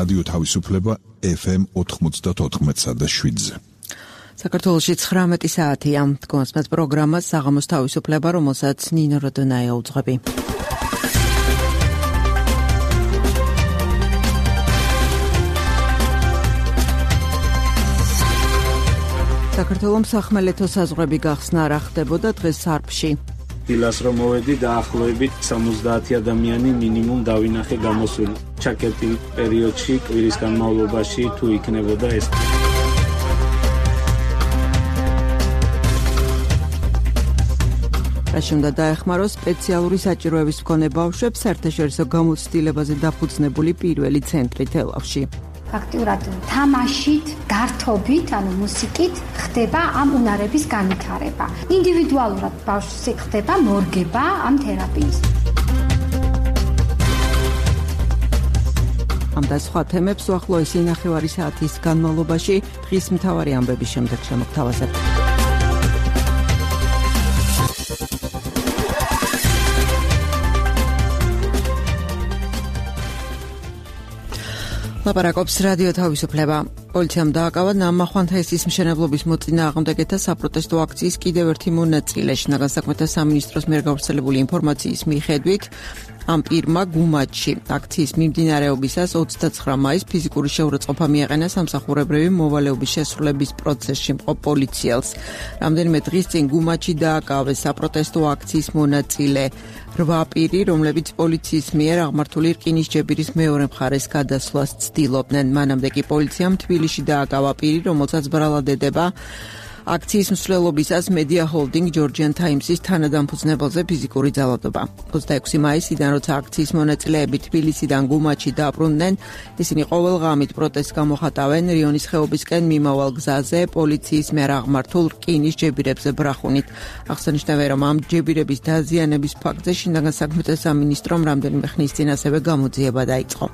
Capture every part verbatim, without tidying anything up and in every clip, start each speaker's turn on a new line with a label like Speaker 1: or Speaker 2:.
Speaker 1: რადიო თავისუფლება ეფ ემ ოთხმოცდაოთხ და შვიდზე.
Speaker 2: საქართველოში ცხრამეტი საათია. თქვენს პროგრამას საღამოს თავისუფლება, რომელსაც ნინო როდონაია უძღვები. საქართველოს სახმელეთო საზღვრები გახსნა რა ხდებოდა დღეს სარფში.
Speaker 3: დილას რომ მოვედი დაახლოებით სამოცდაათი ადამიანი მინიმუმ დავინახე გამოსული. ჩაკეტილ პერიოდში კვირის განმავლობაში თუ იქნებოდა ეს.
Speaker 2: რაში უნდა დაეხმაროს სპეციალური საჭიროების მქონე ბავშვებს საერთაშორისო გამოცდილებაზე დაფუძნებული პირველი ცენტრი თელავში.
Speaker 4: ფაქტიურად თამაშით, გართობით, ანუ მუსიკით ხდება ამ უნარების განვითარება. ინდივიდუალურად ბავშვს ხდება მორგება ამ თერაპიის. ამ და სხვა თემებს უახლოესი ნახევარი საათის განმავლობაში დღის მთავარი ამბების შემდეგ შემოგთავაზებთ. ლაპარაკობს რადიო თავისუფლება. პოლიციამ დააკავა ნამახვანთაესის მშენებლობის მოწინააღმდეგეთა საპროტესტო აქციის კიდევ ერთი მონაწილე. შინაგან საქმეთა სამინისტროს მიერ გავრცელებული ინფორმაციის მიხედვით ამ პირმა გუმათში აქციის მიმდინარეობისას ოცდაცხრა მაისს ფიზიკური შეურაცხყოფა მიაყენა სამსახურებრივი მოვალეობის შესრულების პროცესში მყოფ პოლიციელს. რამდენიმე დღის წინ გუმათში დააკავეს საპროტესტო აქციის მონაწილე რვა პირი, რომლებიც პოლიციის მიერ აღმართული რკინის ჯებირის მეორე მხარეს გადასვლას ცდილობდნენ. მანამდე კი პოლიციამ თბილისში დააკავა პირი, რომელსაც ბრალად ედება აქციის მსვლელობისას მედია ჰოლდინგ ჯორჯიან თაიმსის თანადამფუძნებელზე ფიზიკური ძალადობა. ოცდაექვსი მაისიდან, როცა აქციის მონაწილეები თბილისიდან გუმათში დაბრუნდნენ, ისინი ყოველ ღამით პროტესტს გამოხატავენ რიონის ხეობისკენ მიმავალ გზაზე პოლიციის მიერ აღმართულ რკინის ჯებირებზე ბრახუნით. აღსანიშნავია, რომ ამ ჯებირების დაზიანების ფაქტზე შინაგან საქმეთა სამინისტრომ რამდენიმე ხნის წინ ასევე გამოძიება დაიწყო.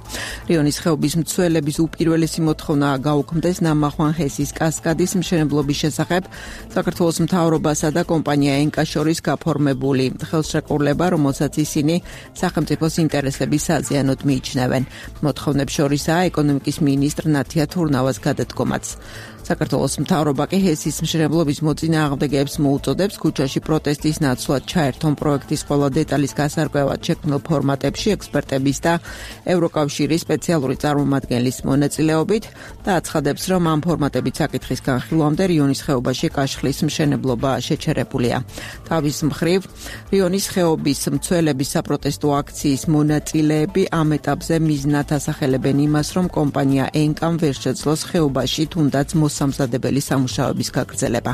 Speaker 4: რიონის ხეობის მცველების უპირველესი მოთხოვნაა გაუქმდეს ნამახვანთაესის კასკადის მშენებლობის შესახებ საქართველოს მთავრობასა და კომპანია ენკა შორის გაფორმებული ხელშეკრულება, რომელსაც ისინი სახელმწიფოს ინტერესების საზიანოდ მიიჩნევენ. მოთხოვნებს შორისაა ეკონომიკის მინისტრ ნათია თურნავას გადადგომაც. საქართველოს მთავრობა კი ჰესის მშენებლობის მოწინააღმდეგეებს მოუწოდებს ქუჩაში პროტესტის ნაცვლად ჩაერთონ პროექტის ყველა დეტალის გასარკვევად შექმნილ ფორმატებში ექსპერტების და ევროკავშირის სპეციალური წარმომადგენლის მონაწილეობით და აცხადებს, რომ ამ ფორმატებით საკითხის განხილვამდე რიონის ხეობაში კაშხლის მშენებლობა შეჩერებულია. თავის მხრივ, რიონის ხეობის მცველების საპროტესტო აქციის მონაწილეები ამ ეტაპზე მიზნად ასახელებენ იმას, რომ კომპანია ენკამ ვერ შეძლოს ხეობაში თუნდაც მოსამზადებელი სამუშაოების გაგრძელება.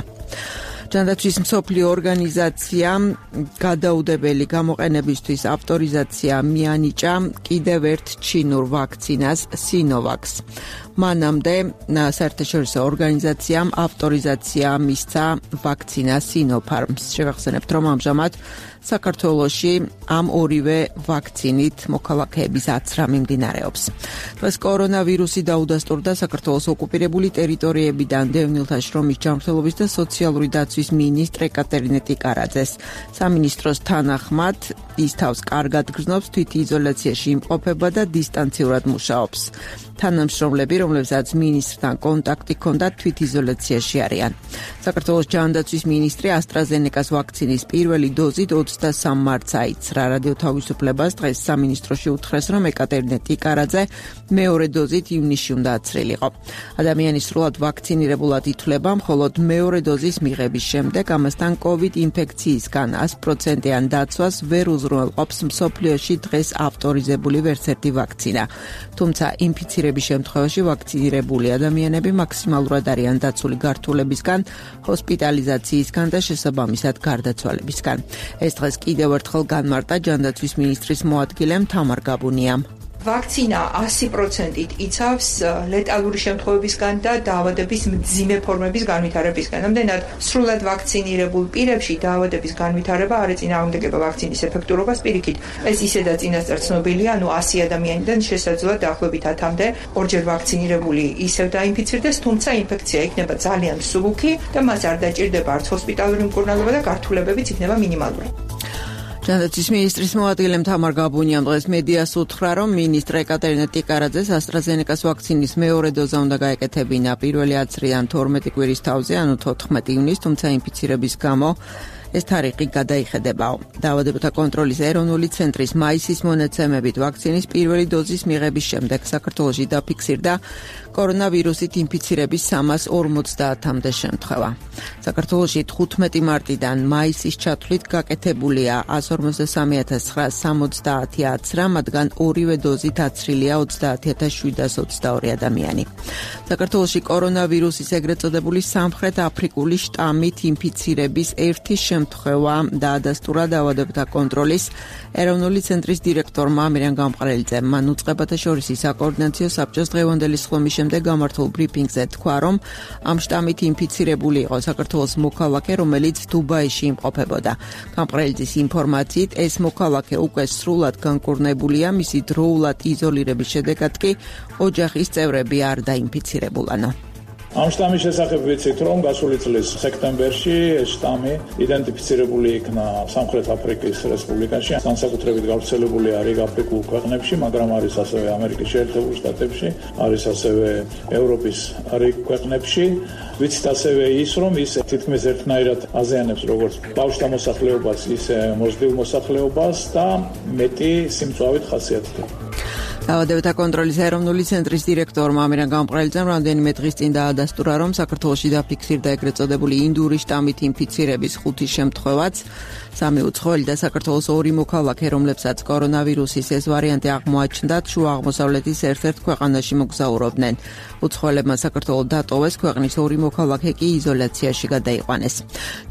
Speaker 4: ჯანდაცვის მსოფლიო ორგანიზაციამ გადაუდებელი გამოყენებისთვის ავტორიზაცია მიანიჭა კიდევ ერთ ჩინურ ვაქცინას სინოვაქს. მანამდე საერთაშორისო ორგანიზაციამ ავტორიზაცია მისცა ვაქცინა სინოფარმს. შევახსენებთ, რომ ამჟამად საქართველოში ამ ორივე ვაქცინით მოქალაქეების აცრა მიმდინარეობს. დღეს კორონავირუსი დაუდასტურდა საქართველოს ოკუპირებული ტერიტორიებიდან დევნილთა შრომის ჯანმრთელობის და სოციალური დაცვის მინისტრ ეკატერინე ტიკარაძეს. სამინისტროს თანახმად ის თავს კარგად გრძნობს, თვითიზოლაციაში იმყოფება და დისტანციურად მუშაობს. თანამშრომლები, რომლებსაც მინისტრთან კონტაქტი ჰქონდათ, თვითიზოლაციაში არიან. საქართველოს ჯანდაცვის მინისტრი ასტრაზენეკას ვაქცინის პირველი დოზით ოცდასამ მარტს აიცრა. რადიო თავისუფლებას დღეს სამინისტროში უთხრეს, რომ ეკატერინე ტიკარაძე მეორე დოზით ივნისში უნდა აცრილიყო. ადამიანი სრულად ვაქცინირებულად ითვლება, მხოლოდ მეორე დოზის მიღების შემდეგ ამასთან კოვიდ ინფექციისგან ათი პროცენტიან დაცვას ვერ უზრუნველყოფს მსოფლიოში დღეს ავტორიზებული ვერცერთი ვაქცინა. თუმცა ინფიცირების შემთხვევაში ვაქცინირებული ადამიანები მაქსიმალურად არიან დაცული გართულებისგან, ჰოსპიტალიზაციისგან და შესაბამისად გარდაცვალებისგან. ეს დღეს კიდევ ერთხელ განმარტა ჯანდაცვის მინისტრის მოადგილემ თამარ გაბუნიამ.
Speaker 5: ვაქცინა ასი პროცენტით იცავს ლეტალური შემთხვევებისგან და დაავადების მძიმე ფორმების განვითარებისგან. ამდენად, სრულად ვაქცინირებულ პირებში დაავადების განვითარება არ ეწინააღმდეგება ვაქცინის ეფექტურობას პირიქით. ეს ისედაც წინასწარ ცნობილია, ანუ ასი ადამიანიდან შესაძლოა დაახლოებით ათამდე ორჯერ ვაქცინირებული ისევ დაინფიცირდეს, თუმცა ინფექცია იქნება ძალიან მსუბუქი და მას არ დაჭირდება არც ჰოსპიტალური მკურნალობა და გართულებებიც იქნება მინიმალური.
Speaker 4: ჯანდაცვის მინისტრის მოადგილემ თამარ გაბუნიამ დღეს მედიას უთხრა, რომ მინისტრ ეკატერინე ტიკარაძეს AstraZeneca-ს ვაქცინის მეორე დოზა უნდა გაეკეთებინა პირველი ათწლიდან თორმეტი კვირის თავზე, ანუ თოთხმეტი ივნისს, თუმცა ინფიცირების გამო ეს თარიღი გადაიხედებაო. დაავადებათა კონტროლის ეროვნული ცენტრის მაისის მონაცემებით ვაქცინის პირველი დოზის მიღების შემდეგ საქართველოში დაფიქსირდა კორონავირუსით ინფიცირების სამას ორმოცდაათამდე შემთხვევა. საქართველოში თხუთმეტი მარტიდან მაისის ჩათვლით გაკეთებულია ას ორმოცდასამი ათას ცხრაას სამოცდაათი აცრა, მათგან ორივე დოზით აცრილია ოცდაათი ათას შვიდას ოცდაორი ადამიანი. საქართველოში კორონავირუსის ეგრეთ წოდებული სამხრეთ აფრიკული შტამით ინფიცირების ერთი შემთხვევა დაადასტურა დაავადებათა კონტროლის ეროვნული ცენტრის დირექტორმა ამირან გამყრელიძემ. მან უწყებათა შორისი საკოორდინაციო საბჭოს დღევანდელი სხდომის შემდეგ გამართულ ბრიფინგზე თქვა, რომ ამ შტამით ინფიცირებული იყო საქართველოს მოქალაქე, რომელიც დუბაიში იმყოფებოდა. გამყრელიძის ინფორმაციით, ეს მოქალაქე უკვე სრულად განკურნებულია, მისი დროულად იზოლირების შედეგად კი ოჯახის წევრები არ დაინფიცირებულანო.
Speaker 6: ამ შტამის შესახებ ვიცით, რომ გასული წლის სექტემბერში ეს შტამი იდენტიფიცირებული იქნა სამხრეთ აფრიკის რესპუბლიკაში, განსაკუთრებით გავრცელებული არის აფრიკულ ქვეყნებში, მაგრამ არის ასევე ამერიკის შეერთებულ შტატებში, არის ასევე ევროპის რიგ ქვეყნებში. ვიცით ასევე ის, რომ ის თითქმის ერთნაირად აზიანებს როგორც ბავშვთა მოსახლეობას, ისე მოზრდილ მოსახლეობას და მეტი სიმწვავით ხასიათდება.
Speaker 4: დაავადებათა კონტროლის ეროვნული ცენტრის დირექტორმა ამირან გამყრელიძემ რამდენიმე დღის წინ დაადასტურა, რომ საქართველოში დაფიქსირდა ეგრეთ წოდებული ინდური შტამით ინფიცირების ხუთი შემთხვევაც. სამი უცხოელი და საქართველოს ორი მოქალაქე, რომლებსაც კორონავირუსის ეს ვარიანტი აღმოაჩნდათ, შუა აღმოსავლეთის ერთ-ერთ ქვეყანაში მოგზაურობდნენ. უცხოელებმა საქართველოს დატოვეს, ქვეყნის ორი მოქალაქე კი იზოლაციაში გადაიყვანეს.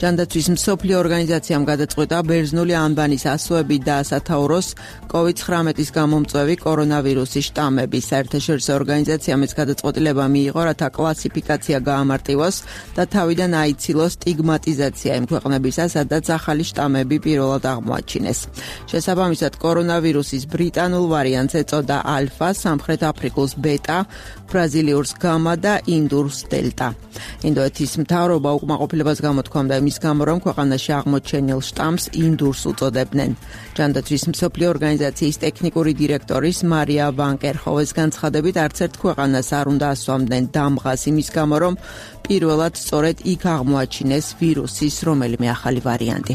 Speaker 4: ჯანდაცვის მსოფლიო ორგანიზაციამ გადაწყვიტა ბერძნული ანბანის ასოებით და ასათაუროს კოვიდ ცხრამეტის გამომწვევი კორონავირუსის შტამების. საერთაშორისო ორგანიზაციამ ეს გადაწყვეტილება მიიღო, რათა კლასიფიკაცია გაამარტივოს და თავიდან აიცილოს სტიგმატიზაცია იმ ქვეყნებისა, სადაც ახალი შტამები პირველად აღმოაჩინეს. შესაბამისად, კორონავირუსის ბრიტანულ ვარიანტს ეწოდა ალფა, სამხრეთ აფრიკულს ბეტა, ბრაზილიურს გამა და ინდურს დელტა. ინდოეთის მთავრობა უკმაყოფილებას გამოთქვამდა იმის გამო, რომ ქვეყანაში აღმოჩენილ შტამს ინდურს უწოდებდნენ. ჯანდაცვის მსოფლიო ორგანიზაციის ტექნიკური დირექტორის მარია ვან კერხოვეს განცხადებით, არც ერთ ქვეყანას არ უნდა ასვამდნენ დამღას იმის გამო, რომ პირველად სწორედ იქ აღმოაჩინეს ვირუსის რომელიმე ახალი ვარიანტი.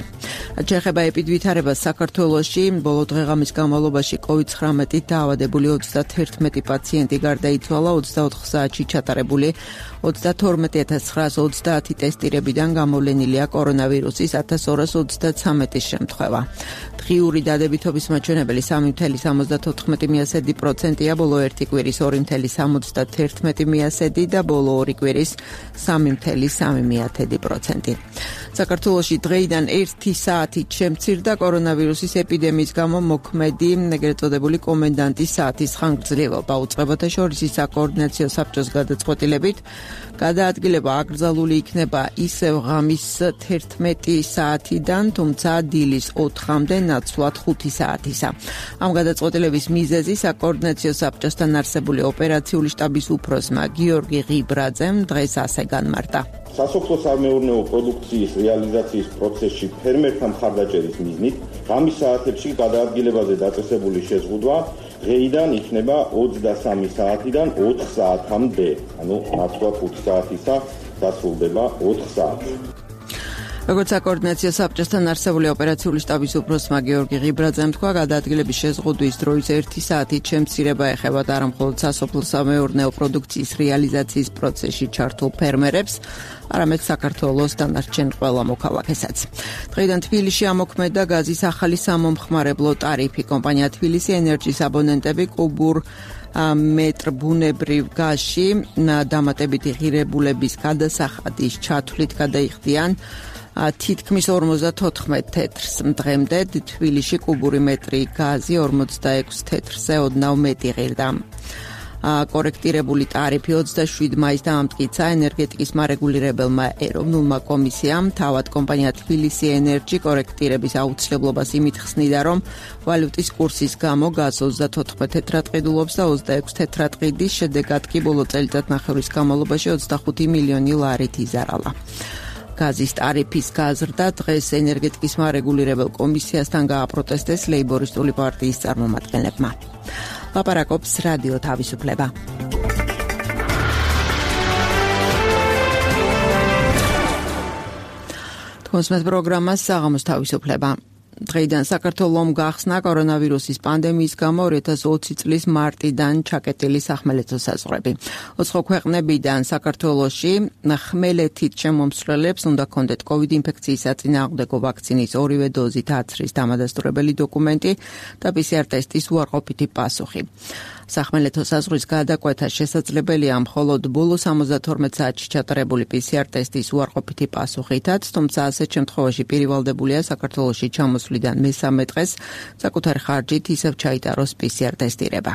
Speaker 4: შეეხება ეპიდვითარებას საქართველოში, ბოლო დღეღამის განმავლობაში კოვიდ ცხრამეტით დაავადებული ოცდაათი პაციენტი გარდაიცვალა, ოცდაოთხ საათში ჩატარებული ოცდათორმეტი ათას ცხრაას ოცდაათი ტესტირებიდან გამოვლენილია კორონავირუსის ათას ორას ოცდაცამეტის შემთხვევა. დღიური დადებითობის მაჩვენებელი სამი ფاصლე სამოცდათოთხმეტი პროცენტია, ბოლო ერთი კვირის ორი ფاصლე სამოცდაათი პროცენტი და ბოლო ორი კვირის სამი ფاصლე სამი პროცენტი. საქართველოში დღეიდან ერთი საათით შემცირდა კორონავირუსის ეპიდემიის გამო მოქმედი ეგრეთ წოდებული კომენდანტის საათის ხანგრძლივობა. უწყებათა შორისი საკოორდინაციო საბჭოს გადაწყვეტილებით გადაადგილება აკრძალული იქნება ისევ ღამის თერთმეტი საათიდან, თუმცა დილის ოთხამდე, ნაცვლად ხუთი საათისა. ამ გადაწყვეტილების მიზეზი საკოორდინაციო საბჭოსთან არსებული ოპერაციული შტაბის უფროსმა გიორგი ღიბრაძემ დღეს ასე განმარტა.
Speaker 7: სასოფლო-სამეურნეო პროდუქციის რეალიზაციის პროცესში ფერმერთა მხარდაჭერის მიზნით ღამის საათებში გადაადგილებაზე დაწესებული შეზღუდვა დღეიდან იქნება ოცდასამი საათიდან ოთხ საათამდე, ანუ ნაცვლად ხუთი საათისა დასრულდება ოთხ საათი.
Speaker 4: როგორც საკოორდინაციო საბჭოსთან არსებული ოპერაციული შტაბის უფროსმა გიორგი ღიბრაძემ თქვა, გადაადგილების შეზღუდვის დროის ერთი საათით შემცირება ეხება არა მხოლოდ სასოფლო-სამეურნეო პროდუქციის რეალიზაციის პროცესში ჩართულ ფერმერებს, არამედ საქართველოს დანარჩენ ყველა მოქალაქესაც. დღეიდან თბილისში ამოქმედა გაზის ახალი სამომხმარებლო ტარიფი. კომპანია თბილისი ენერჯის აბონენტები კუბურ მეტრ ბუნებრივ გაზში დამატებითი ღირებულების გადასახადის ჩათვლით გადაიხდიან თითქმის ორმოცდათოთხმეტ თეთრს. დღემდე თბილისში კუბური მეტრი გაზი ორმოცდაექვსი თეთრზე ოდნავ მეტი ღირდა. კორექტირებული ტარიფი ოცდაშვიდი მაისს დაამტკიცა ენერგეტიკის მარეგულირებელმა ეროვნულმა კომისიამ. თავად კომპანია თბილისი ენერჯი კორექტირების აუცილებლობას იმით ხსნიდა, რომ ვალუტის კურსის გამო გაზ ოცდათოთხმეტ თეთრად ყიდულობს და ოცდაექვსი თეთრად ყიდის, შედეგად კი ბოლო წელიწადნახევრის განმავლობაში ოცდახუთი მილიონი ლარით იზარალა. გაზის ტარიფის გაზრდა დღეს ენერგეტიკის მარეგულირებელ კომისიასთან გააპროტესტეს ლეიბორისტული პარტიის წარმომადგენლებმა. ლაპარაკობს რადიო თავისუფლება. თქოსმეთ პროგრამას საღამოს თავისუფლება. დღეიდან საქართველომ გახსნა კორონავირუსის პანდემიის გამო ორი ათას ოცი წლის მარტიდან ჩაკეტილი სახმელეთო საზღვრები. ოთხ ქვეყნებიდან საქართველოში ხმელეთით შემომსვლელებს უნდა ჰქონდეთ კოვიდ ინფექციის საწინააღმდეგო ვაქცინის ორივე დოზით აცრის დამადასტურებელი დოკუმენტი და პი სი არ ტესტის უარყოფითი პასუხი. სახმელეთო საზღვრის გადაკვეთა შესაძლებელია მხოლოდ ბოლო სამოცდათორმეტ საათში ჩატარებული პი სი არ ტესტის უარყოფითი პასუხითაც, თუმცა ასეთ შემთხვევაში პირივალდებულია საქართველოში ჩამოსვლიდან მესამე დღეს საკუთარი ხარჯით ისევ ჩაიტაროს პი სი არ ტესტირება.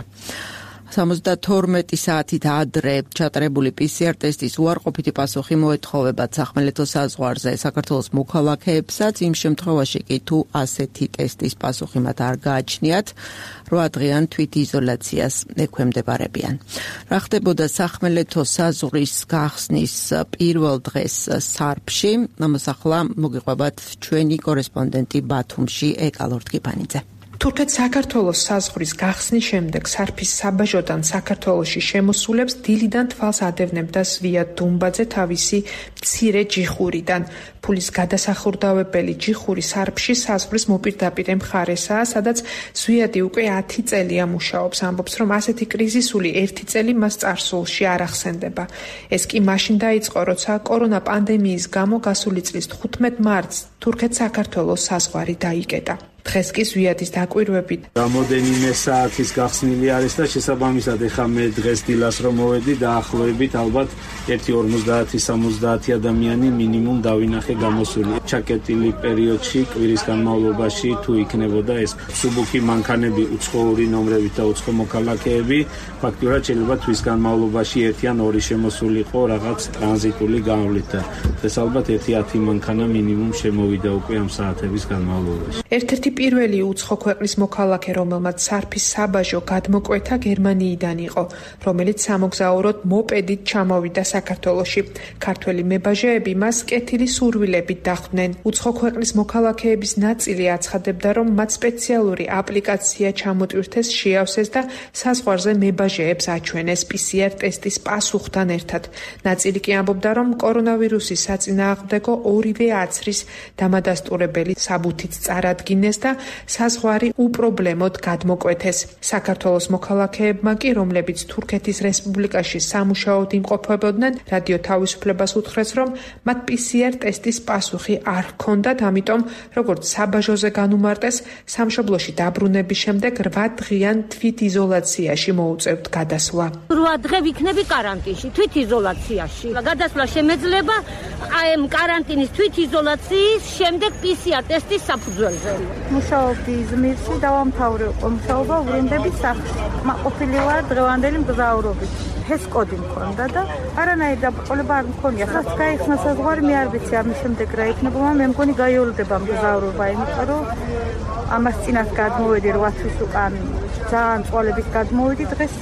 Speaker 4: სამოცდათორმეტი საათით ადრე ჩატარებული პი სი არ ტესტის უარყოფითი პასუხი მოეთხოვებათ სახმელეთო საზღვარზე საქართველოს მოქალაქეებსაც, იმ შემთხვევაში კი თუ ასეთი ტესტის პასუხი მათ არ გააჩნიათ, რვა დღიან თვითიზოლაციას ექვემდებარებიან. რა ხდებოდა სახმელეთო საზღვრის გახსნის პირველ დღეს სარფში, ამას ახლა მოგიყვებათ ჩვენი კორესპონდენტი ბათუმში ეკალორ ტკიპანიძე.
Speaker 8: თურქეთს საქართველოს საზღვრის გახსნის შემდეგ სარფის საბაჟოდან საქართველოში შემოსულებს დილიდან თვალს ადევნებდა ზვია დუმბაძე თავისი მცირე ჯიხურიდან. ფულის გადასახურდავებელი ჯიხური სარფში საზღვრის მოპირდაპირე მხარესაა, სადაც ზვიადი უკვე ათი წელია მუშაობს. ამბობს, რომ ასეთი კრიზისული ერთი წელი მას წარსულში არ ახსენდება. ეს კი მაშინ დაიწყო, როცა კორონა პანდემიის გამო გასული წლის თხუთმეტ მარტს თურქეთს საქართველოს საზღვარი დაიკეტა. დღეს კი ზვიადის დაკვირვებით
Speaker 3: რამოდენიმე საათის გახსნილი არის და შესაბამისად ეხა მე დღეს დილას რომ მოვედი დაახლოებით ალბათ ერთი ორმოცდაათი სამოცდაათი ადამიანი მინიმუმ დავინახე გამოსული. ჩაკეტილი პერიოდში კვირის განმავლობაში თუ იქნებოდა ეს სუბუქი მანქანები უცხოური ნომრებით და უცხო მოქალაქეები, ფაქტურად შეიძლება თვის განმავლობაში ერთი ან ორი შემოსულიყო რაღაც ტრანზიტული გავლით და ეს ალბათ ერთი ათი მანქანა მინიმუმ შემოვიდა უკვე ამ საათების განმავლობაში.
Speaker 8: ერთ-ერთი პირველი უცხო ქვეყნის მოქალაქე, რომელმაც სარფის საბაჟო გადმოკვეთა გერმანიიდან იყო, რომელიც სამოგზაუროდ მოპედით ჩამოვიდა საქართველოში. ქართველი მებაჟეები მას კეთილი სურვილებით დახვდნენ. უცხო ქვეყნის მოქალაქეების ნაწილი აცხადებდა, რომ მათ სპეციალური აპლიკაცია ჩამოტვირთეს შეავსეს და საზღვარზე მებაჟეებს აჩვენეს პი სი არ ტესტის პასუხთან ერთად. ნაწილი კი ამბობდა, რომ კორონავირუსის საწინააღმდეგო ორივე აცრის დამადასტურებელი საბუთით წარადგინეს და საზღვარი უპრობლემოდ გადმოკვეთეს. საქართველოს მოქალაქეებმა კი, რომლებიც თურქეთის რესპუბლიკაში სამუშაოდ იმყოფებოდნენ, რადიო თავისუფლებას უთხრეს, რომ მათ პი სი არ ტესტის პასუხი არ ჰქონდათ, ამიტომ როგორც საბაჟოზე განუმარტეს, სამშობლოში დაბრუნების შემდეგ რვა დღიან თვითიზოლაციაში მოუწევთ გადასვლა.
Speaker 9: რვა დღე ვიქნები კარანტინში, თვითიზოლაციაში. გადასვლა შემეძლება აი ამ კარანტინის თვითიზოლაციის შემდეგ პი სი არ ტესტის საფუძველზე.
Speaker 10: მუშაობდი იზმირში, დავამთავრე მუშაობა ვრინდების სახლში. მაყოფილი ვარ დღევანდელი მგზავრობით. ეს კოდი მქონდა და არანაირი დაბრკოლება არ მქონია. რაც გაიხსნა საზღვარი, მე არ ვიცი ამის შემდეგ რა იქნება, მე მგონი გაიოლდება მგზავრობა, იმიტომ რომ ამას წინათ გადმოვედი რვა თვის უკან. ძალიან წვალებით გადმოვედი, დღეს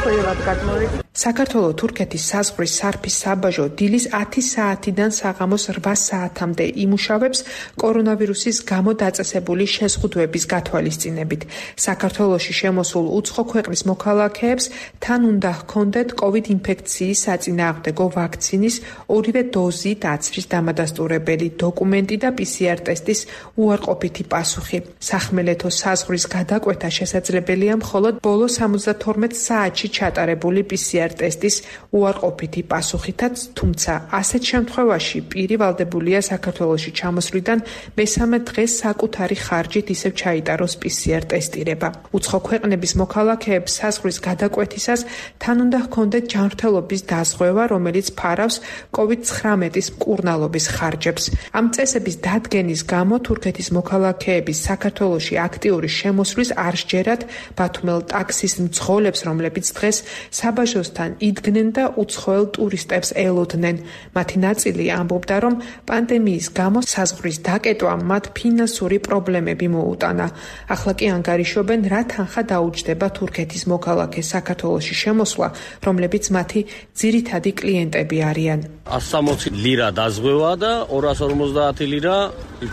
Speaker 10: ყველად გადმოვედი.
Speaker 8: საქართველოს თურქეთის საზღვრის სარფის საბაჟო დილის ათი საათიდან საღამოს რვა საათამდე იმუშავებს კორონავირუსის გამო დაწესებული შეზღუდვების გათვალისწინებით. საქართველოში შემოსულ უცხო ქვეყნის მოქალაქეებს თან უნდა ჰქონდეთ კოვიდ ინფექციის საწინააღმდეგო ვაქცინის ორივე დოზით აცრის დამადასტურებელი დოკუმენტი და პი სი არ ტესტის უარყოფითი პასუხი. სახმელეთო საზღვრის გადაკვეთა შესაძლებელია მხოლოდ ბოლო სამოცდათორმეტ საათში ჩატარებული პი სი არ ტესტის უარყოფითი პასუხითაც, თუმცა ასეთ შემთხვევაში პირივალდებულია საქართველოში ჩამოსვლიდან მესამე დღეს საკუთარი ხარჯით ისევ ჩაიტაროს პი სი არ ტესტირება. უცხო ქვეყნების მოქალაქეებს საზღვრის გადაკვეთისას თან უნდა ჰქონდეთ ჯანმრთელობის დაზღვევა, რომელიც ფარავს კოვიდ ცხრამეტის მკურნალობის ხარჯებს. ამ წესების დადგენის გამო თურქეთის მოქალაქეების საქართველოში აქტიური შემოსვლის არ სჯერათ ბათუმელ ტაქსის მძღოლებს, რომლებიც დღეს საბაჟოსთან იდგნენ და უცხოელ ტურისტებს ელოდნენ. მათი ნაწილი ამბობდა, რომ პანდემიის გამო საზღვრის დაკეტვა მათ ფინანსური პრობლემები მოუტანა. ახლა კი ანგარიშობენ, რა თანხა დაუჯდება თურქეთის მოქალაქეს საქართველოში შემოსვლა, რომლებიც მათი ძირითადი კლიენტები არიან.
Speaker 11: ათს სამოცი ლირა დაზღვევა და ორას ორმოცდაათი ლირა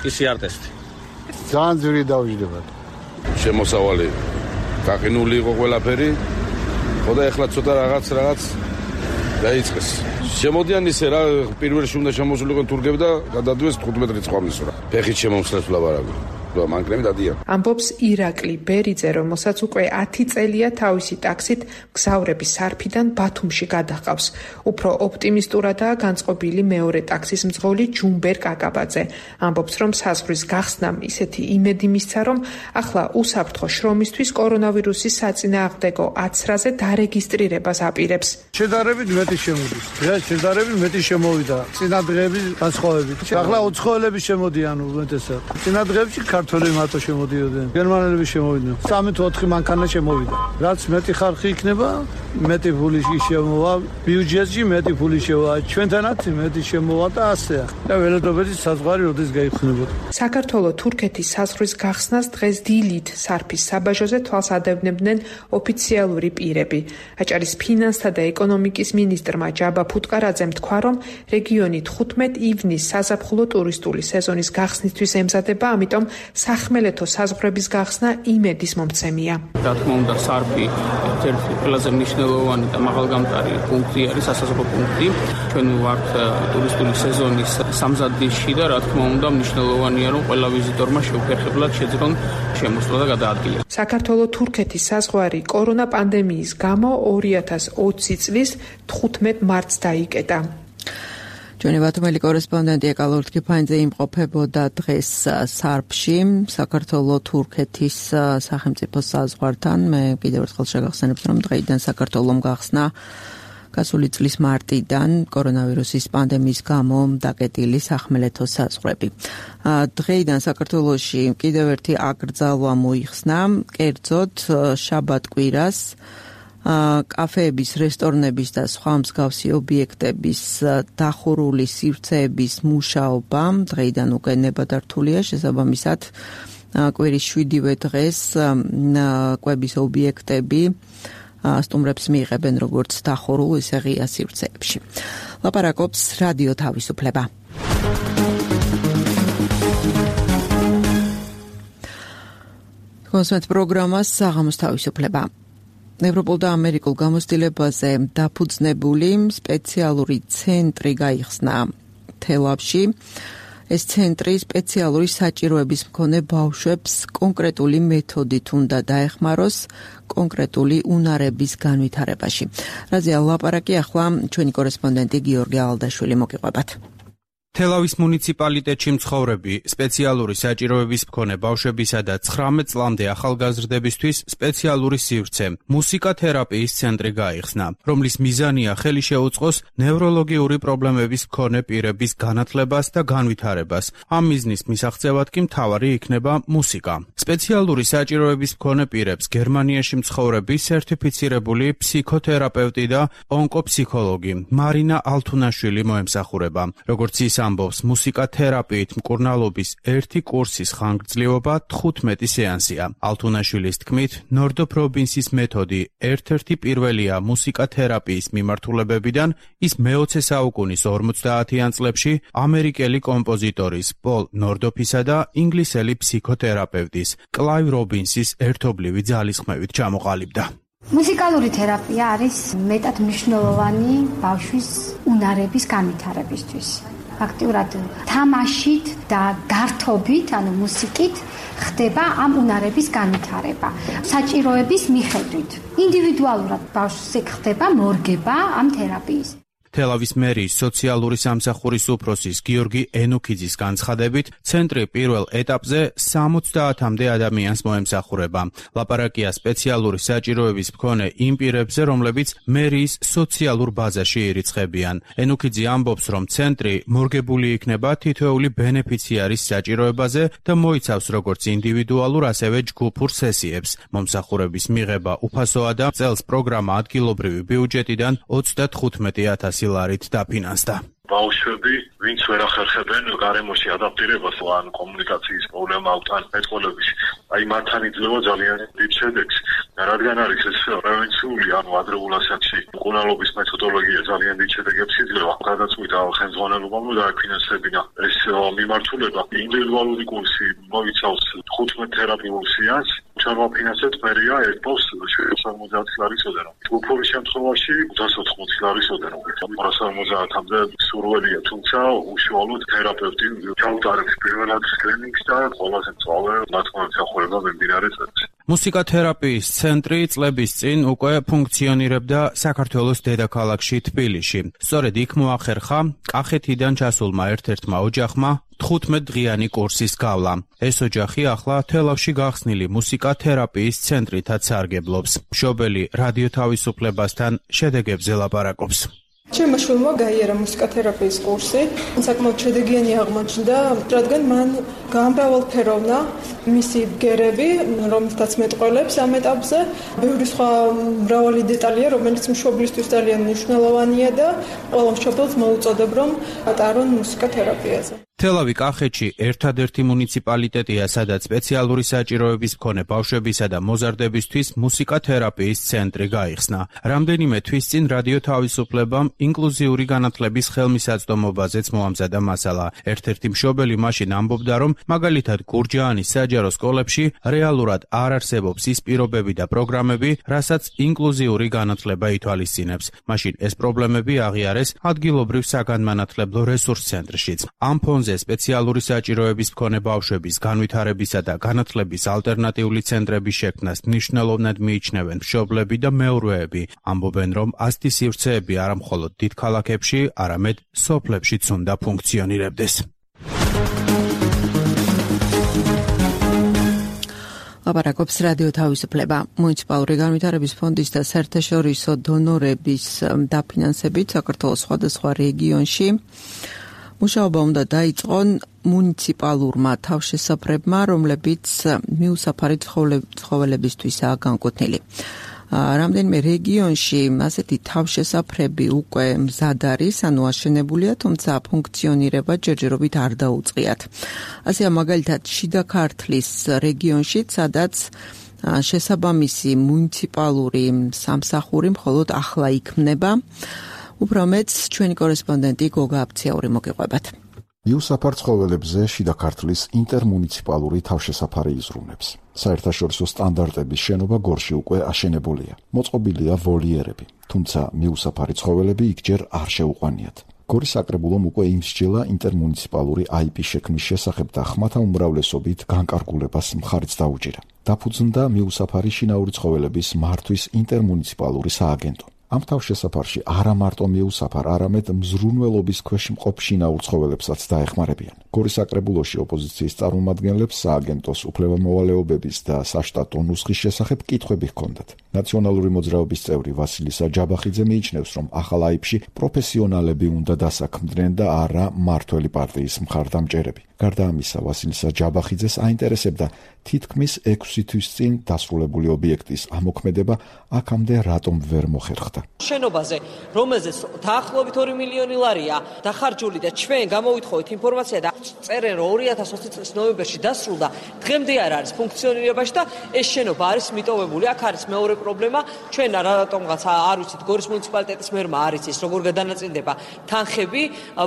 Speaker 11: პი სი არ ტესტი.
Speaker 12: ძალიან ძვირი დაუჯდებათ.
Speaker 13: შემოსავალი გაყინული იყო ყველაფერი. ხო და ეხლა ცოტა რაღაც რაღაც დაიწყეს. შემოდიან ისე რა, პირველში უნდა შემოსულიყვნენ თურქები და გადადვეს თხუთმეტი რიცხვამის რა. ფეხით შემომსვლას ვლაპარაკობ. და მანქანები დადიან.
Speaker 8: ამბობს ირაკლი ბერიძე, რომელსაც უკვე ათი წელია თავისი ტაქსით მგზავრების სარფიდან ბათუმში გადაჰყავს. უფრო ოპტიმისტურადაა განწყობილი მეორე ტაქსის მძღოლი ჯუმბერ კაკაბაძე. ამბობს, რომ საზღვრის გახსნამ ისეთი იმედი მისცა, რომ ახლა უსაფრთხო შრომისთვის კორონავირუსის საწინააღმდეგო აცრაზე დარეგისტრირებას აპირებს.
Speaker 12: შედარებით მეტი შემოდის. რა შედარებით მეტი შემოვიდა. წინა დღეების განსხვავებით. ახლა უცხოელები შემოდიან უმეტესად. წინა დღეებში ქართველი მათო შემოდიოდნენ. გერმანელები შემოვიდნენ. სამი თუ ოთხი მანქანა შემოვიდა. რაც მეტი ხარხი იქნება, მეტი ფული შემოვა, ბიუჯეტში მეტი ფული შევა, ჩვენთანაც მეტი შემოვა და ასეა. და ველოდობითი საზღვარი როდის გაიხსნებოდა.
Speaker 8: საქართველოს თურქეთის საზღვრის გახსნას დღეს დილით სარფის საბაჟოზე თვალს ადევნებდნენ ოფიციალური პირები. აჭარის ფინანსთა და ეკონომიკის მინისტრმა ჯაბა ფუტკარაძემ თქვა, რომ რეგიონი თხუთმეტ ივნისს საზაფხულო ტურისტული სეზონის გახსნისთვის ემზადება, ამიტომ სახმელეთო საზღვრების გახსნა იმედის მომცემია.
Speaker 14: რა თქმა უნდა, სარფი ერთ-ერთი ყველაზე მნიშვნელოვანი და მაღალგამტარი პუნქტი არის, სასაზღვრო პუნქტი. ჩვენ ვართ ტურისტული სეზონის სამზადისში და რა თქმა უნდა, მნიშვნელოვანია, რომ ყველა ვიზიტორმა შეუფერხებლად შეძლონ შემოსვლა და გადაადგილება.
Speaker 8: საქართველოს თურქეთის საზღვარი კორონა პანდემიის გამო ორი ათას ოცი წლის თხუთმეტ მარტს დაიკეტა.
Speaker 4: ჩვენი ბათუმელი კორესპონდენტი ეკალორ თქიფანიძე იმყოფებოდა დღეს სარფში, საქართველოს თურქეთის სახელმწიფო საზღვართან. მე კიდევ ერთხელ შეგახსენებთ, რომ დღეიდან საქართველოს გახსნა გასული წლის მარტიდან კორონავირუსის პანდემიის გამო დაკეტილი სახმელეთო საზღვრები. დღეიდან საქართველოში კიდევ ერთი აკრძალვა მოიხსნა, კერძოდ შაბათ-კვირას კაფეების, რესტორნების და სხვა მსგავსი ობიექტების დახურული სივრცეების მუშაობა დღეიდან უკვე ნებადართულია. შესაბამისად, კვირის შვიდივე დღეს კვების ობიექტები სტუმრებს მიიღებენ როგორც დახურულ, ისე ღია სივრცეებში. ლაპარაკობს რადიო თავისუფლება. კონსერტ პროგრამას საღამოს თავისუფლება. ევროპულ და ამერიკულ გამოცდილებაზე დაფუძნებული სპეციალური ცენტრი გაიხსნა თელავში. ეს ცენტრი სპეციალური საჭიროების მქონე ბავშვებს კონკრეტული მეთოდით უნდა დაეხმაროს კონკრეტული უნარების განვითარებაში. რაზეა ლაპარაკი ახლა ჩვენი კორესპონდენტი გიორგი ალდაშვილი მოგიყვებათ.
Speaker 15: თელავის მუნიციპალიტეტში მცხოვრები სპეციალური საჭიროების მქონე ბავშვებისა და ცხრამეტ წლამდე ახალგაზრდებისთვის სპეციალური სივრცე მუსიკათერაპიის ცენტრი გაიხსნა, რომლის მიზანია ხელი შეუწყოს ნევროლოგიური პრობლემების მქონე პირების განათლებას და განვითარებას. ამ მიზნის მისაღწევად კი მთავარი იქნება მუსიკა. სპეციალური საჭიროების მქონე პირებს გერმანიაში მცხოვრები სერტიფიცირებული ფსიქოთერაპევტი და ონკოფსიქოლოგი მარინა ალთუნაშვილი მოემსახურება. როგორც ის ამბობს, მუსიკათერაპიით მკურნალობის ერთი კურსის ხანგრძლივობა თხუთმეტი სეანსია. ალთუნაშვილის თქმით, ნორდო პროვინციის მეთოდი ერთ-ერთი პირველია მუსიკათერაპიის მიმართულებებიდან, ის მეოცე საუკუნის ორმოცდაათიან წლებში ამერიკელი კომპოზიტორის პოლ ნორდოფისა და ინგლისელი ფსიქოთერაპევტის კლაივ რობინსის ერთობლივი ძალისხმევით ჩამოყალიბდა.
Speaker 16: მუსიკალური თერაპია არის მეტად მნიშვნელოვანი ბავშვის უნარების განვითარებისთვის. ფაქტიურად თამაშით და გართობით, ანუ მუსიკით ხდება ამ უნარების განვითარება. საჭიროების მიხედვით ინდივიდუალურად ბავშვს ხდება მორგება ამ თერაპიის.
Speaker 15: თელავის მერიის სოციალური სამსახურის უფროსის გიორგი ენუქიძის განცხადებით, ცენტრი პირველ ეტაპზე სამოცდაათამდე ადამიანს მოემსახურება. ლაპარაკია სპეციალური საჭიროების მქონე იმ პირებზე, რომლებიც მერიის სოციალურ ბაზაში ირიცხებიან. ენუქიძე ამბობს, რომ ცენტრი მორგებული იქნება თითოეული ბენეფიციარის საჭიროებაზე და მოიცავს როგორც ინდივიდუალურ, ასევე ჯგუფურ სესიებს. მომსახურების მიღება უფასოა და წელს პროგრამა ადგილობრივი ბიუჯეტიდან ოცდათხუთმეტი ათასი ლარით დაფინანსდა.
Speaker 17: ბავშვები, ვინც ვერ ახერხებენ გარემოში ადაპტირებას, ან კომუნიკაციის პრობლემა აქვთ, ან მეტყველების, აი მათთან იძლევა ძალიან დიდ შედეგს, რადგან არის ეს პრევენციული, ანუ ადრეულ ასაკში მკურნალობის მეთოდოლოგია ძალიან დიდ შედეგებს იძლევა. გადაწყვიტა ხელმძღვანელობამ და დააფინანსებინა ეს მიმართულება. ინდივიდუალური კურსი მოიცავს თხუთმეტ თერაპიულ სეანს, ჩვენ ვაფინანსებთ მერია ეკპოს შვიდსამოცდაათი ლარის ოდენობით. ჯგუფური შემთხვევაში ოცდაოთხმოცი ლარის ოდენობით. ორასამოცდაათამდე სურველია, თუმცა უშუალოდ თერაპევტი ჩაუტარებს პირველად სკრინინგს და ყველაზე მწვავე მათგანსახურება მიმდინარე წელს.
Speaker 15: მუსიკათერაპიის ცენტრი წლების წინ უკვე ფუნქციონირებდა საქართველოს დედაქალაქში თბილისში. სწორედ იქ მოახერხა კახეთიდან ჩასულმა ერთ-ერთმა ოჯახმა თხუთმეტ დღიანი კურსის გავლა. ეს ოჯახი ახლა თელავში გახსნილი მუსიკათერაპიის ცენტრითაც სარგებლობს. მშობელი რადიო თავისუფლებასთან შედეგებზე ლაპარაკობს.
Speaker 18: ჩემმა შვილმა გაიარა მუსიკათერაპიის კურსი. საკმაოდ შედეგიანი აღმოჩნდა, რადგან მან გაამრავალფეროვნა მისი ბგერები, რომელთაც მეტყველებს ამ ეტაპზე. ბევრი სხვა მრავალი დეტალია, რომელიც მშობლისთვის ძალიან მნიშვნელოვანია და ყველა მშობელს მოუწოდებ, რომ ატარონ მუსიკათერაპიაზე.
Speaker 15: თელავი კახეთში ერთადერთი მუნიციპალიტეტია, სადაც სპეციალური საჭიროების მქონე ბავშვებისა და მოზარდებისთვის მუსიკათერაპიის ცენტრი გაიხსნა. რამდენიმე თვის წინ რადიო თავისუფლებამ ინკლუზიური განათლების ხელმისაწვდომობაზეც მოამზადა მასალა. ერთ-ერთი მშობელი მაშინ ამბობდა, რომ მაგალითად გურჯაანის საჯარო სკოლებში რეალურად არ არსებობს ის პირობები და პროგრამები, რასაც ინკლუზიური განათლება ითვალისწინებს. მაშინ ეს პრობლემები აღიარეს ადგილობრივ საგანმანათლებლო რესურს ცენტრშიც. ამ ფონზე სპეციალური საჭიროების მქონე ბავშვების განვითარებისა და განათლების ალტერნატიული ცენტრების შექმნას მნიშვნელოვნად მიიჩნევენ მშობლები და მეურვეები. ამბობენ, რომ ასეთი სივრცეები არა მხოლოდ დიდ ქალაქებში, არამედ სოფლებშიც უნდა ფუნქციონირებდეს.
Speaker 2: ლაპარაკობს რადიო თავისუფლება. მუნიციპალური განვითარების ფონდის და საერთაშორისო დონორების დაფინანსებით საქართველოს სხვადასხვა რეგიონში მუშაობა უნდა დაიწყონ მუნიციპალურმა თავშესაფრებმა, რომლებიც მიუსაფარი ცხოველებისთვისაა განკუთვნილი. რამდენიმე რეგიონში ასეთი თავშესაფრები უკვე მზად არის, ანუ აშენებულია, თუმცა ფუნქციონირება ჯერჯერობით არ დაუწყიათ. ასეა მაგალითად შიდა ქართლის რეგიონში, სადაც შესაბამისი მუნიციპალური სამსახური მხოლოდ ახლა იქმნება. უფრო მეც ჩვენი კორესპონდენტი გოგა აფციაური მოგიყვებათ.
Speaker 19: მიუსაფარ ცხოველებზე შიდა ქართლის ინტერმუნიციპალური თავშესაფარი იზრუნებს. საერთაშორისო სტანდარტების შენობა გორში უკვე აშენებულია. მოწყობილია ვოლიერები, თუმცა მიუსაფარი ცხოველები იქ ჯერ არ შეუყვანიათ. გორის საკრებულომ უკვე იმსჯელა ინტერმუნიციპალური აიპი შექმნის შესახებ და ხმათა უმრავლესობით განკარგულებას მხარიც დაუჭირა. დაფუძნდა მიუსაფარი შინაური ცხოველების მართვის ინტერმუნიციპალური სააგენტო. ამ თავშესაფარში არა მარტო მიუსაფარ, არამედ მზრუნველობის ქვეშ მყოფ შინაურ ცხოველებსაც დაეხმარებიან. გორის საკრებულოში ოპოზიციის წარმომადგენლებს სააგენტოს უფლებამოვალეობების და საშტატო ნუსხის შესახებ კითხვები ჰქონდათ. ნაციონალური მოძრაობის წევრი ვასილისა ჯაბახიძე მიიჩნევს, რომ ახალ აიფში პროფესიონალები უნდა დასაქმდნენ და არა მმართველი პარტიის მხარდამჭერები. გარდა ამისა, ვასილისა ჯაბახიძეს აინტერესებდა თითქმის ექვსი თვის წინ დასრულებული ობიექტის ამოქმედება აქამდე რატომ ვერ მოხერხდა.
Speaker 20: შენობაზე, რომელზეც დაახლოებით ორი მილიონი ლარია დახარჯული და ჩვენ გამოვითხოვეთ ინფორმაცია და წერენ, რომ ორი ათას ოცი წლის ნოემბერში დასრულდა, დღემდე არ არის ფუნქციონირებაში და ეს შენობა არის მიტოვებული. აქ არის მეორე პრობლემა, ჩვენ რატომღაც არ ვიცით, გორის მუნიციპალიტეტის მერმა არ იცის, როგორ გადანაწილდება თანხები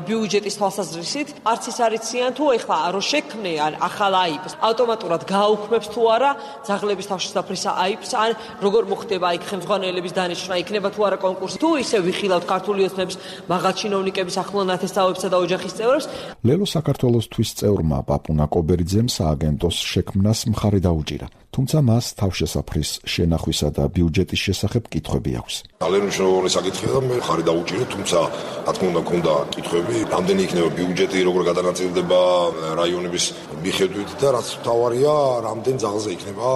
Speaker 20: ბიუჯეტის თვალსაზრისით, არც ის არ იციან თუ ეხლა რო შექმნიან ახალ აიპს, ავტომატურად გააუქმებს თუ არა ძაღლების თავშესაფრის აიპს, ან როგორ მოხდება იქ ხელმძღვანელების დანიშვნა, იქნება თუ არა კონკურსი, თუ ისე ვიხილავთ ქართული ოცნების მაღალ ჩინოვნიკების ახლო ნათესავებსა და ოჯახის წევრებს.
Speaker 19: ლელო საქართველოს თვის წევრმა პაპუნა კობერიძემ სააგენტოს შექმნას მხარი დაუჭირა. თუმცა მას თავშესაფრის შენახვისა და ბიუჯეტის შესახებ კითხვები აქვს.
Speaker 21: ძალიან მნიშვნელოვანი საკითხია და მე ხარი დაუჭირე, თუმცა რა თქმა უნდა მქონდა კითხვები, რამდენი იქნება ბიუჯეტი, როგორ გადანაწილდება რაიონების მიხედვით და რაც მთავარია, რამდენ ძალზე იქნება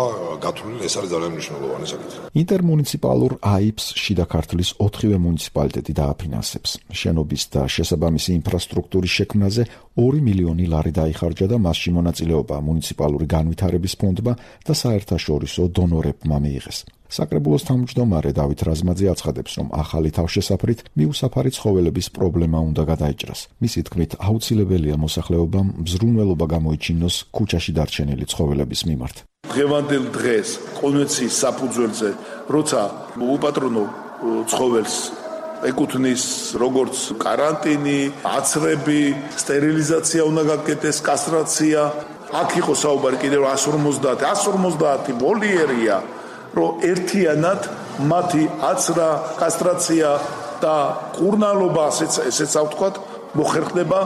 Speaker 21: გათვლილი, ეს არის ძალიან მნიშვნელოვანი საკითხი.
Speaker 19: ინტერმუნიციპალურ აიფს შიდა ქართლის ოთხივე მუნიციპალიტეტი დააფინანსებს. შენობის და შესაბამისი ინფრასტრუქტურის შექმნაზე ორი მილიონი ლარი დაიხარჯა და მასში მონაწილეობა მუნიციპალური განვითარების ფონდმა და საერთაშორისო დონორებმა მიიღეს. საკრებულოს თავმჯდომარე დავით რაზმაძე აცხადებს, რომ ახალი თავშესაფრით მიუსაფარი ცხოველების პრობლემა უნდა გადაიჭრას. მისი თქმით, აუცილებელია მოსახლეობამ მზრუნველობა გამოიჩინოს ქუჩაში დარჩენილი ცხოველების მიმართ.
Speaker 6: დღევანდელ დღეს კონვენციის საფუძველზე, როცა უპატრონო ცხოველს ეკუთვნის როგორც კარანტინი, აცრები, სტერილიზაცია უნდა გაკეთდეს, კასტრაცია, აქ იყო საუბარი კიდევ εκατს ორმოცდაათი, εκατს ორმოცდაათი ვოლიერია, რომ ერთიანად მათი აცრა, კასტრაცია და კურნალობა, ესეც ავთქვათ, მოხერხდება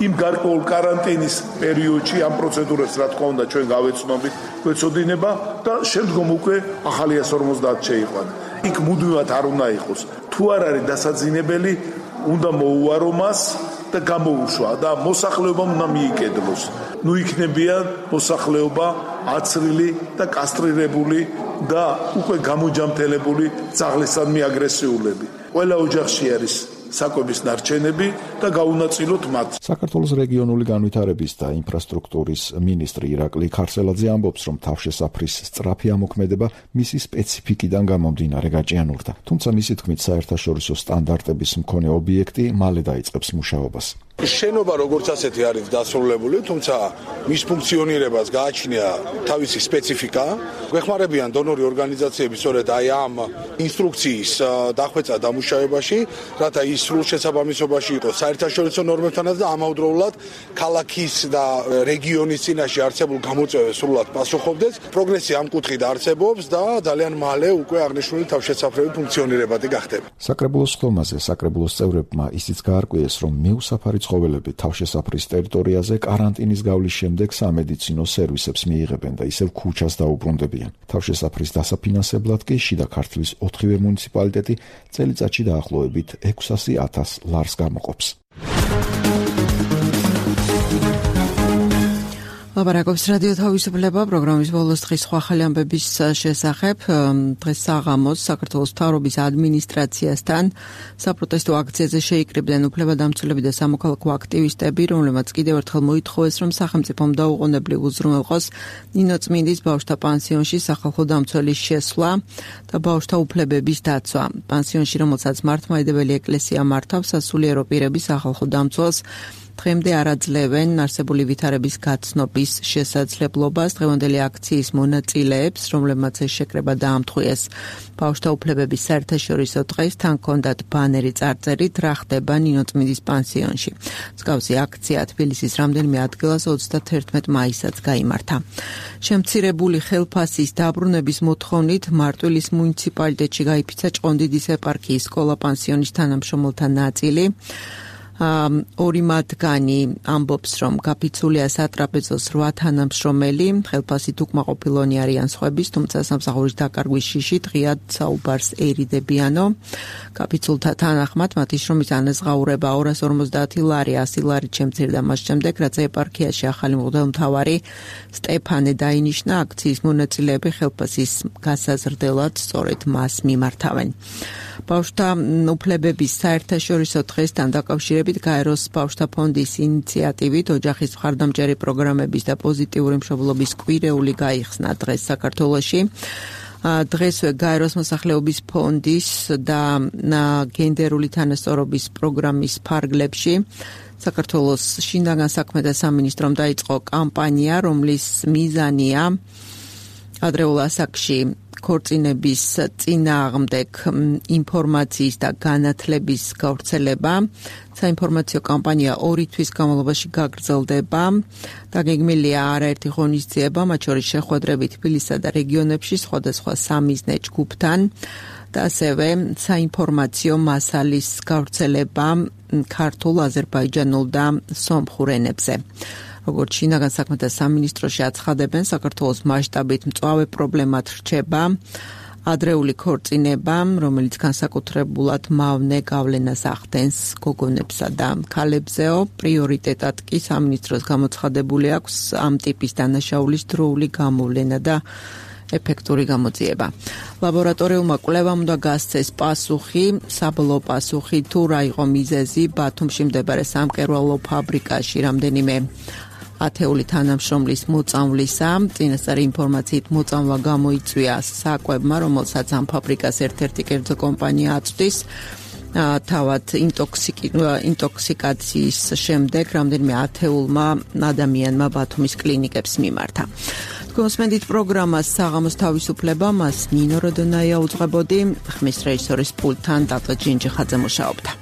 Speaker 6: იმ გარკვეულ კარანტინის პერიოდში, ამ პროცედურებს რა თქმა უნდა ჩვენ გავეცნობით, გვეცოდინება და შემდგომ უკვე ახალი εκατს ორმოცდაათი შეიყვანა. იქ მუდმივად არ უნდა იყოს. თუ არ არის დასაძინებელი, უნდა მოუარო მას და გამოუშვა და მოსახლეობამ უნდა მიიკედლოს. ნუ იქნებიან მოსახლეობა აცრილი და კასტრირებული და უკვე გამოჯამთელებული ძაღლისადმი აგრესიულები. ყველა ოჯახში არის საკვების ნარჩენები და გაუნაწილოთ მათ.
Speaker 19: საქართველოს რეგიონული განვითარების და ინფრასტრუქტურის მინისტრი ირაკლი ქარსელაძე ამბობს, რომ თავშესაფრის სწრაფი ამოქმედება მისი სპეციფიკიდან გამომდინარე გაჭიანურდა. თუმცა მისი თქმით, საერთაშორისო სტანდარტების მქონე ობიექტი მალე დაიწყებს მუშაობას.
Speaker 13: შენობა როგორც ასეთი არის დასრულებული, თუმცა მის ფუნქციონირებას გააჩნია თავისი სპეციფიკა. გვეხმარებიან დონორი ორგანიზაციები სწორედ აი ამ ინსტრუქციის დახვეწა დამუშავებაში, რათა ის სრულ შესაბამისობაში იყოს საერთაშორისო ნორმებთანაც და ამავდროულად ქალაქის და რეგიონის წინაშე არსებულ გამოწვევებს სრულად პასუხობდეს. პროგრესი ამ კუთხით არსებობს და ძალიან მალე უკვე აღნიშნული თავშესაფრები ფუნქციონირებადი გახდება.
Speaker 19: საკრებულოს ხდომაზე საკრებულოს წევრებმა ისიც გაარკვიეს, რომ მიუსაფარი ცხოველები თავშესაფრის ტერიტორიაზე კარანტინის გავლის შემდეგ სამედიცინო სერვისებს მიიღებენ და ისევ ქუჩას დაუბრუნდებიან. თავშესაფრის დასაფინანსებლად კი შიდა ქართლის ოთხივე მუნიციპალიტეტი წელიწადში დაახლოებით ექვსასი ათას ლარს გამოყოფს.
Speaker 4: ლაპარაკობს რადიო თავისუფლება პროგრამის ბოლოს დღის სხვა ახალი ამბების შესახებ. დღეს საღამოს საქართველოს მთავრობის ადმინისტრაციასთან საპროტესტო აქციაზე შეიკრიბნენ უფლებადამცველები და სამოქალაქო აქტივისტები, რომლებმაც კიდევ ერთხელ მოითხოვეს, რომ სახელმწიფომ დაუყოვნებლივ უზრუნველყოს ნინო წმინდის ბავშვთა პანსიონში სახალხო დამცველის შესვლა და ბავშვთა უფლებების დაცვა. პანსიონში, რომელსაც მართლმადიდებელი ეკლესია მართავს, სასულიერო პირები სახალხო დამცველს დღემდე არ აძლევენ არსებული ვითარების გაცნობის შესაძლებლობას. დღევანდელი აქციის მონაწილეებს, რომლებმაც ეს შეკრება დაამთხვიეს ბავშვთა უფლებების საერთაშორისო დღეს, თან ჰქონდათ ბანერი წარწერით რა ხდება ნინო წმინდის პანსიონში. მსგავსი აქცია თბილისის რამდენიმე ადგილას ოცდათერთმეტ მაისსაც გაიმართა. შემცირებული ხელფასის დაბრუნების მოთხოვნით მარტვილის მუნიციპალიტეტში გაიფიცა ჭყონდიდის ეპარქიის სკოლა-პანსიონის თანამშრომელთა ნაწილი. ორი მათგანი ამბობს, რომ გაფიცულია სატრაპეზოს რვა თანამშრომელი, ხელფასით უკმაყოფილონი არიან სხვების, თუმცა სამსახურის დაკარგვის შიშით ღიად საუბარს ერიდებიანო. გაფიცულთა თანახმად მათი შრომის ანაზღაურება ორას ორმოცდაათი ლარი, ასი ლარით შემცირდა მას შემდეგ, რაც ეპარქიაში ახალი მღვდელმთავარი სტეფანე დაინიშნა. აქციის მონაწილეები ხელფასის გასაზრდელად სწორედ მას მიმართავენ. ბავშვთა უფლებების საერთაშორისო დღესთან დაკავშირებით გაეროს ბავშვთა ფონდის ინიციატივით ოჯახის მხარდამჭერი პროგრამების და პოზიტიური მშობლობის კვირეული გაიხსნა დღეს საქართველოში. დღესვე გაეროს მოსახლეობის ფონდის და გენდერული თანასწორობის პროგრამის ფარგლებში საქართველოს შინაგან საქმეთა სამინისტრომ დაიწყო კამპანია, რომლის მიზანია ადრეულ ასაკში ქორწინების წინააღმდეგ ინფორმაციის და განათლების გავრცელება. საინფორმაციო კამპანია ორი თვის განმავლობაში გაგრძელდება. დაგეგმილია არაერთი ღონისძიება, მათ შორის შეხვედრები თბილისსა და რეგიონებში სხვადასხვა სამიზნე ჯგუფთან და ასევე საინფორმაციო მასალის გავრცელება ქართულ, აზერბაიჯანულ და სომხურ ენებზე. როგორც შინაგან საქმეთა სამინისტროში აცხადებენ, საქართველოს მასშტაბით მწვავე პრობლემად რჩება ადრეული ქორწინება, რომელიც განსაკუთრებულად მავნე გავლენას ახდენს გოგონებსა და ქალებზეო. პრიორიტეტად კი სამინისტროს გამოცხადებული აქვს ამ ტიპის დანაშაულის დროული გამოვლენა და ეფექტური გამოძიება. ლაბორატორიულმა კვლევამ უნდა გასცეს პასუხი, საბოლოო პასუხი თუ რა იყო მიზეზი ბათუმში მდებარე სამკერვალო ფაბრიკაში რამდენიმე ათეული თანამშრომლის მოწამვლისა. წინასწარ ინფორმაციით მოწამვლა გამოიწვია საკვებმა, რომელსაც ამ ფაბრიკას ერთ-ერთი კერძო კომპანია აწვდის. თავად ინტოქსიკაციის შემდეგ რამდენიმე ათეულმა ადამიანმა ბათუმის კლინიკებს მიმართა. გოსმენდით პროგრამას საღამოს თავისუფლება, მას ნინო როდონაია უძღვებოდი, ხმის რეჟისორის პულტთან დატო ჯინჯიხაძე მუშაობდა.